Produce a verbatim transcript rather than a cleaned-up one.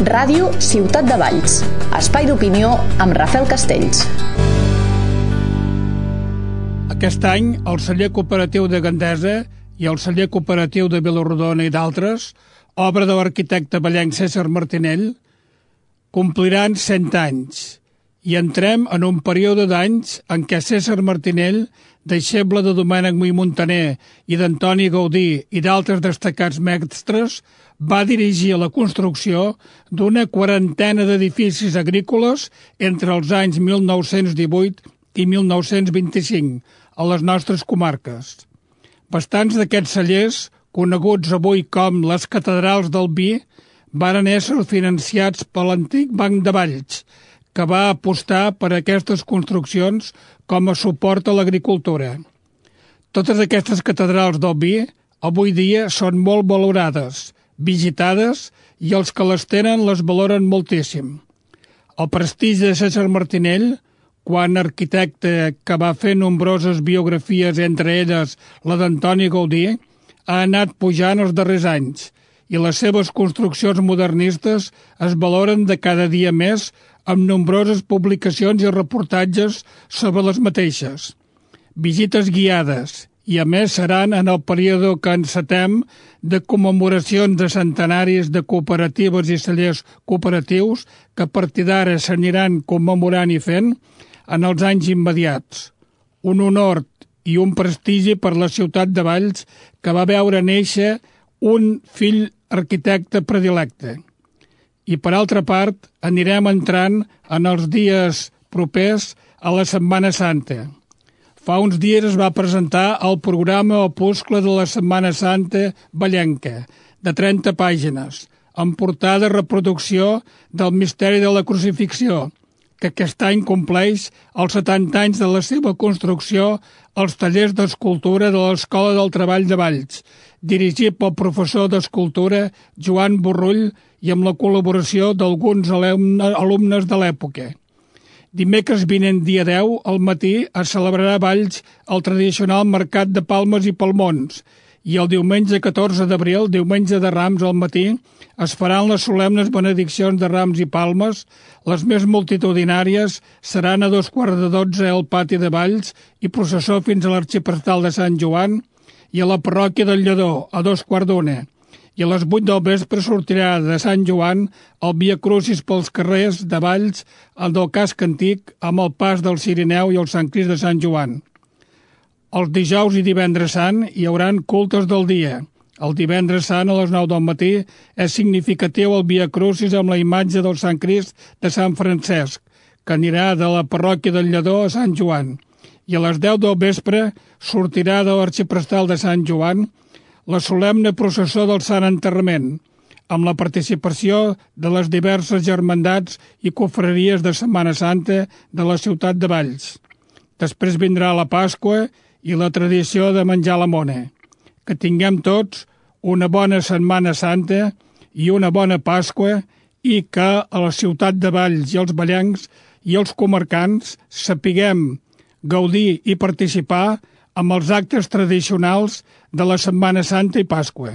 Ràdio Ciutat de Valls, espai d'opinió amb Rafael Castells. Aquest any, el celler cooperatiu de Gandesa i el celler cooperatiu de Vilarodona i d'altres, obra de l'arquitecte vallenc César Martinell, compliran cent anys i entrem en un període d'anys en què César Martinell, deixeble de Domènec Mui Montaner i d'Antoni Gaudí i d'altres destacats mestres, va dirigir la construcció d'una quarantena d'edificis agrícoles entre els anys mil nou-cents divuit i mil nou-cents vint-i-cinc a les nostres comarques. Bastants d'aquests cellers, coneguts avui com les catedrals del vi, varen ésser financiats per l'antic Banc de Valls, que va apostar per aquestes construccions com a suport a l'agricultura. Totes aquestes catedrals del vi avui dia són molt valorades, visitades, i els que les tenen les valoren moltíssim. El prestigi de César Martinell, quan arquitecte que va fer nombroses biografies, entre elles la d'Antoni Gaudí, ha anat pujant els darrers anys, i les seves construccions modernistes es valoren de cada dia més amb nombroses publicacions i reportatges sobre les mateixes. Visites guiades, i a més seran en el període que encetem de commemoracions de centenaris de cooperatives i cellers cooperatius que a partir d'ara s'aniran commemorant i fent en els anys immediats. Un honor i un prestigi per la ciutat de Valls que va veure néixer un fill arquitecte predilecte. I per altra part, anirem entrant en els dies propers a la Setmana Santa. Fa uns dies es va presentar el programa opuscle de la Setmana Santa vallenca, de trenta pàgines, amb portada reproducció del misteri de la crucifixió, que aquest any compleix els setanta anys de la seva construcció als tallers d'escultura de l'Escola del Treball de Valls, dirigit pel professor d'escultura Joan Borrull i amb la col·laboració d'alguns alumnes de l'època. Dimecres vinent, dia deu, al matí, es celebrarà a Valls el tradicional mercat de palmes i palmons, i el diumenge catorze d'abril, diumenge de Rams al matí, es faran les solemnes benediccions de rams i palmes. Les més multitudinàries seran a dos quarts de dotze al pati de Valls i processó fins a l'arxiprestal de Sant Joan, i a la parròquia del Lledó, a dos quarts d'una. I a les vuit del vespre sortirà de Sant Joan el Via Crucis pels carrers de Valls, el del casc antic, amb el pas del Cirineu i el Sant Crist de Sant Joan. Els dijous i divendres sant hi hauran cultes del dia. El divendres sant a les nou del matí és significatiu el Via Crucis amb la imatge del Sant Crist de Sant Francesc, que anirà de la parròquia del Lledó a Sant Joan. I a les deu del vespre sortirà de l'arxiprestal de Sant Joan la solemne processó del Sant Enterrament, amb la participació de les diverses germandats i confraries de Setmana Santa de la ciutat de Valls. Després vindrà la Pasqua i la tradició de menjar la mona. Que tinguem tots una bona Setmana Santa i una bona Pasqua, i que a la ciutat de Valls i els vallencs i els comarcans sapiguem gaudir i participar amb els actes tradicionals de la Setmana Santa i Pasqua.